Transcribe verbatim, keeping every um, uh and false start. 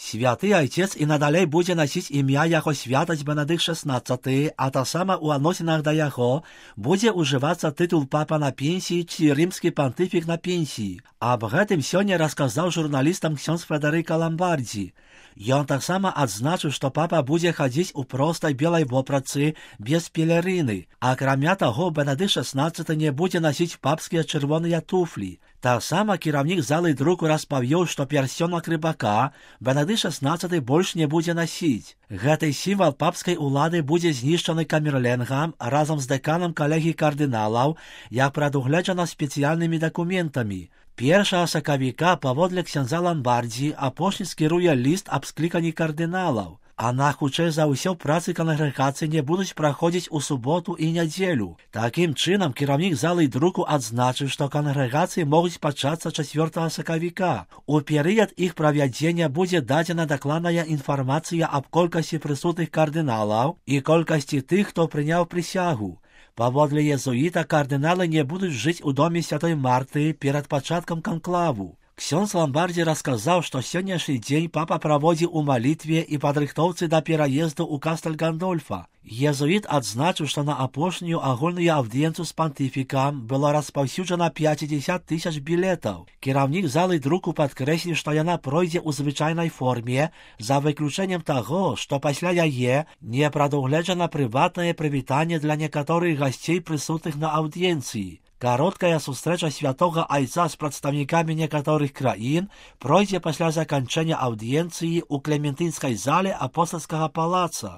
Святы Айцец і надалей будзе насіць імя яго святасць Бенедыкт шестнадцаты, а таксама ў адносінах да яго будзе ўжывацца тытул папа на пенсіі ці рымскі пантыфік на пенсіі. Аб гэтым сёння расказаў журналістам ксёндз Федэрыка Ламбардзі. Ён таксама адзначыў, што папа будзе хадзіць у простай белай вопратцы без пелерыны. Акрамя таго, Бенедыкт шестнадцаты не будзе насіць папскія чырвоныя туфлі. Таксама кіраўнік залы друку распавёў, што пярсцёнак рыбака Бенедыкт шестнадцаты больш не будзе насіць. Гэты сімвал папскай улады будзе знішчаны камерленгам разам з дэканам калегій кардыналаў, як прадугледжана спецыяльнымі дакументамі. Першага сакавіка паводле ксяндза Ламбардзі апошні скіруе ліст аб скліканні кардыналаў. А на хутчэй за ўсё працы кангрэгацыі не будуць праходзіць у суботу і нядзелю. Такім чынам кіраўнік залы друку адзначыў, што кангрэгацыі могуць пачацца чацвёртага сакавіка. У перыяд іх правядзення будзе дадзена дакладная інфармацыя аб колькасці прысутных кардыналаў і колькасці тых, хто прыняў прысягу. Паводле езуіта кардыналы не будуць жыць у доме святой Марты перад пачаткам канклаву. Ксёндз Ламбардзі расказаў, што сённяшні дзень папа праводзіў у малітве і падрыхтоўцы да пераезду ў Кастэль Гандольфа. Езуіт адзначыў, што на апошнюю агульную аўдыенцыю з пантыфікам было распаўсюджана пяцьдзесят тысяч білетаў. Кіраўнік залы друку падкрэсліў, што яна пройдзе ў звычайнай форме, за выключэннем таго, што пасля яе не прадугледжана прыватнае прывітанне для некаторых гасцей прысутных на аўдыенцыі. Кароткая сустрэча святога Айца з прадстаўнікамі некаторых краін пройдзе пасля заканчэння аўдыенцыі ў Клементынскай зале апостальскага палаца.